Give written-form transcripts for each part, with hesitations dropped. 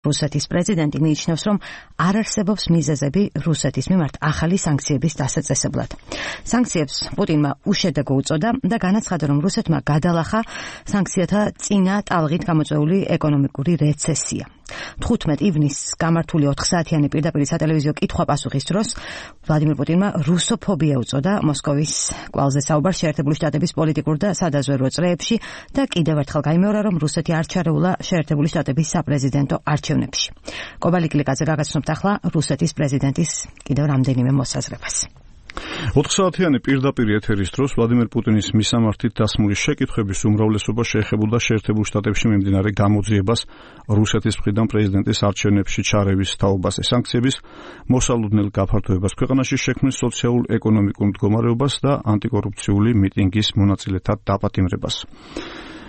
რუსეთის პრეზიდენტი მიიჩნევს, რომ არ არსებობს მიზეზები რუსეთის მიმართ ახალი სანქციების დასაწესებლად. სანქციებს პუტინმა უშედეგო უწოდა და განაცხადა, რომ რუსეთმა გადალახა სანქციათა წინა ტალღით გამოწვეული ეკონომიკური რეცესია. 15 ივნისს გამართული 4 საათიანი პირდაპირ სატელევიზიო კითხვა-პასუხის დროს ვლადიმირ პუტინმა რუსოფობია უწოდა მოსკოვის კვალზე საუბარს შეერთებული შტატების პოლიტიკურ და სადაზვერვო წრეებში და კიდევ ერთხელ გაიმეორა, რომ რუსეთი არ ჩარეულა შეერთებული შტატების საპრეზიდენტო არჩევნებში. კობალი კლიკაძე გაგაცნობთ ახლა რუსეთის პრეზიდენტის კიდევ რამდენიმე მოსაზრებას. 4 საათიანი პირდაპირ ეთერის დროს ვლადიმირ პუტინის მისამართით დასმული შეკითხვების უმრავლესობა შეეხებოდა შეერთებულ შტატებში მიმდინარე გამოძიებას რუსეთის მხრიდან პრეზიდენტის არჩევნებში ჩარევის თაობაზე, სანქციების მოსალოდნელ გაფართოებას, ქვეყანაში შექმნის სოციალურ-ეკონომიკურ მდგომარეობას და ანტიკორუფციული მიტინგის მონაწილეთა დაპატიმრებას.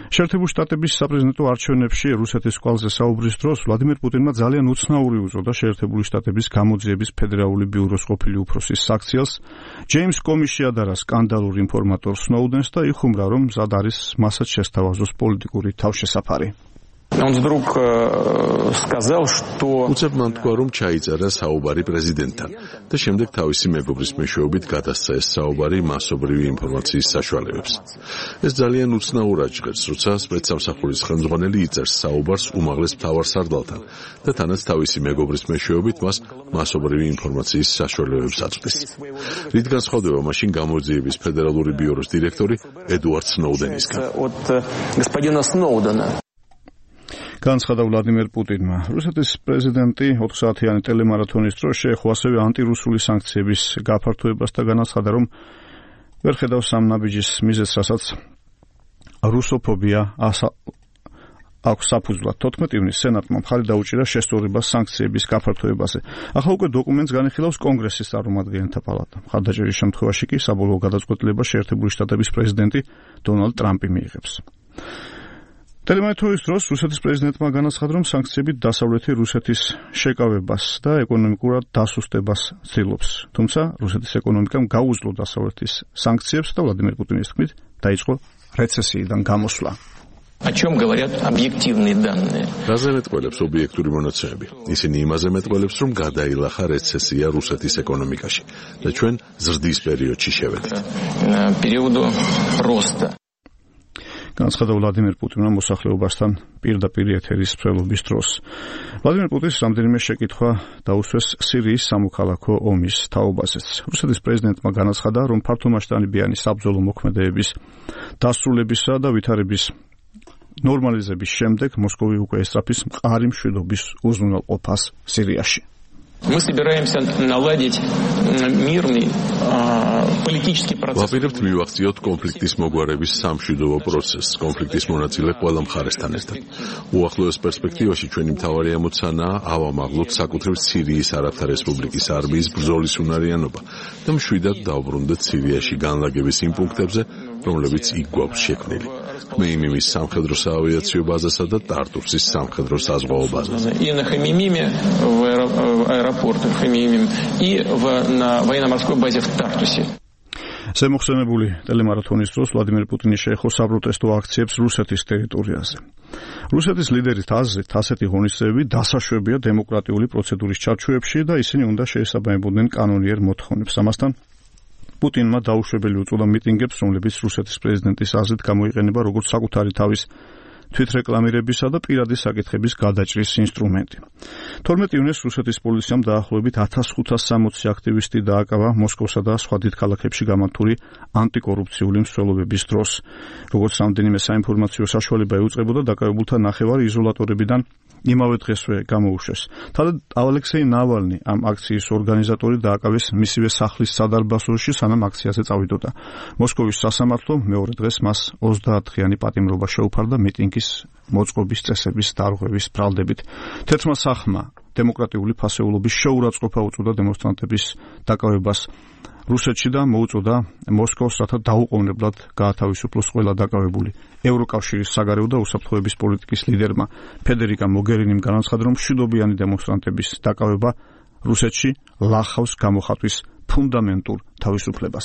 შეერთებული შტატების საპრეზიდენტო არჩევნებში რუსეთის კვალზე საუბრის დროს ვლადიმირ პუტინმა ძალიან უცნაური უწოდა შეერთებული შტატების გამოძიების ფედერალური ბიუროს ყოფილი უფროსის საქციელს, ჯეიმს კომის შეადარა სკანდალურ ინფორმატორ სნოუდენს და იხუმრა, რომ მზად არის მასაც შესთავაზოს პოლიტიკური თავშესაფარი. უცებ მან თქვა, რომ ჩაიწერა საუბარი პრეზიდენტთან და შემდეგ თავისი მეგობრის მეშვეობით გადასცა ეს საუბარი მასობრივი ინფორმაციის საშუალებებს. ეს ძალიან უცნაურად ჟღერს, როცა სპეცსამსახურის ხელმძღვანელი იწერს საუბარს უმაღლეს მთავარსარდალთან და თანაც თავისი მეგობრის მეშვეობით მას მასობრივი ინფორმაციის საშუალებებს აწვდის. რით განსხვავდება მაშინ გამოძიების ფედერალური ბიუროს დირექტორი ედუარდ სნოუდენისგან? განცხადა ვლადიმირ პუტინმა. რუსეთის პრეზიდენტი 4 საათიანი ტელემარათონის დროს შეეხო ასევე ანტირუსული სანქციების გაფართოებას და განაცხადა, რომ ვერ ხედავს ამ ნაბიჯის მიზეზს, რასაც რუსოფობია აქვს საფუძვლად. 14 ივნისს სენატმა მხარი დაუჭირა შესწორებას სანქციების გაფართოებაზე. ახლა უკვე დოკუმენტს განიხილავს კონგრესის წარმომადგენელთა პალატა. მხარდაჭერის შემთხვევაში კი საბოლოო გადაწყვეტილებას შეერთებული შტატების პრეზიდენტი დონალდ ტრამპი მიიღებს. ტელემარათონის დროს რუსეთის პრეზიდენტმა განაცხადა, რომ სანქციები დასავლეთი რუსეთის შეკავებას და ეკონომიკურად დასუსტებას ცდილობს. თუმცა რუსეთის ეკონომიკამ გაუძლო დასავლეთის სანქციებს და ვლადიმირ პუტინის თქმით დაიწყო რეცესიიდან გამოსვლა. რაზე მეტყველებს ობიექტური მონაცემები? ისინი იმაზე მეტყველებს, რომ გადაილახა რეცესია რუსეთის ეკონომიკაში და ჩვენ ზრდის პერიოდში შევედით. განაცხადა ვლადიმირ პუტინმა მოსახლეობასთან პირდაპირ ეთერის მსვლელობის დროს. ვლადიმირ პუტინს რამდენიმე შეკითხვა დაუსვეს სირიის სამოქალაქო ომის თაობაზეც. რუსეთის პრეზიდენტმა განაცხადა, რომ ფართომასშტაბიანი საბრძოლო მოქმედებების დასრულებისა და ვითარების ნორმალიზების შემდეგ მოსკოვი უკვე ესწრაფის მყარი მშვიდობის უზრუნველყოფას სირიაში. ვაპირებთ მივახციოთ კონფლიქტის მოგვარების სამშვიდობო პროცესს, კონფლიქტის მონაწილე ყველა მხარესთან ერთად. უახლოეს პერსპექტივაში ჩვენი მთავარი ამოცანაა ავამაღლოთ საკუთრივ სირიის არაბთა რესპუბლიკის არმიის ბრძოლის უნარიანობა და მშვიდად დავბრუნდეთ სირიაში განლაგების იმ პუნქტებზე, რომლებიც იქ გვაქვს შექმნილი. ხმეიმიმის სამხედრო საავიაციო ბაზასა და ტარტუსის სამხედრო საზღვაო ბაზაზე. ზემოხსენებული ტელემარათონის დროს ვლადიმირ პუტინი შეეხო საპროტესტო აქციებს რუსეთის ტერიტორიაზე. რუსეთის ლიდერის აზრით, ასეთი ღონისძიებები დასაშვებია დემოკრატიული პროცედურის ჩარჩოებში და ისინი უნდა შეესაბამებოდნენ კანონიერ მოთხოვნებს. ამასთან პუტინმა დაუშვებელი უწოდა მიტინგებს, რომლებიც რუსეთის პრეზიდენტის აზრით გამოიყენება როგორც საკუთარი თავის თვითრეკლამირებისა და პირადი საკითხების გადაჭრის ინსტრუმენტი. 12 ივნისს რუსეთის პოლიციამ დაახლოებით 1560 აქტივისტი დააკავა მოსკოვსა და სხვა დიდ ქალაქებში გამართული ანტიკორუფციული მსვლელობების დროს. როგორც რამდენიმე საინფორმაციო საშუალება ეუწყებოდა, დაკავებულთა ნახევარი იზოლატორებიდან იმავე დღესვე გამოუშვეს. თავად ალექსეი ნავალნი, ამ აქციის ორგანიზატორი, დააკავეს მისივე სახლის სადარბაზოში, სანამ აქციაზე წავიდოდა. მოსკოვის სასამართლო მეორე დღეს მას 30 დღიანი პატიმრობა შეუფარდა მიტინგის მოწყობის წესების დარღვევის ბრალდებით. თეთრმა სახმა დემოკრატიული ფასეულობის შეურაცხყოფა უწოდა დემონსტრანტების დაკავებას რუსეთში და მოუწოდა მოსკოვს, რათა დაუყოვნებლად გაათავისუფლოს ყველა დაკავებული. ევროკავშირის საგარეო და უსაფრთხოების პოლიტიკის ლიდერმა ფედერიკა მოგერინიმ განაცხადა, რომ მშვიდობიანი დემონსტრანტების დაკავება რუსეთში ლახავს გამოხატვის ფუნდამენტურ თავისუფლებას.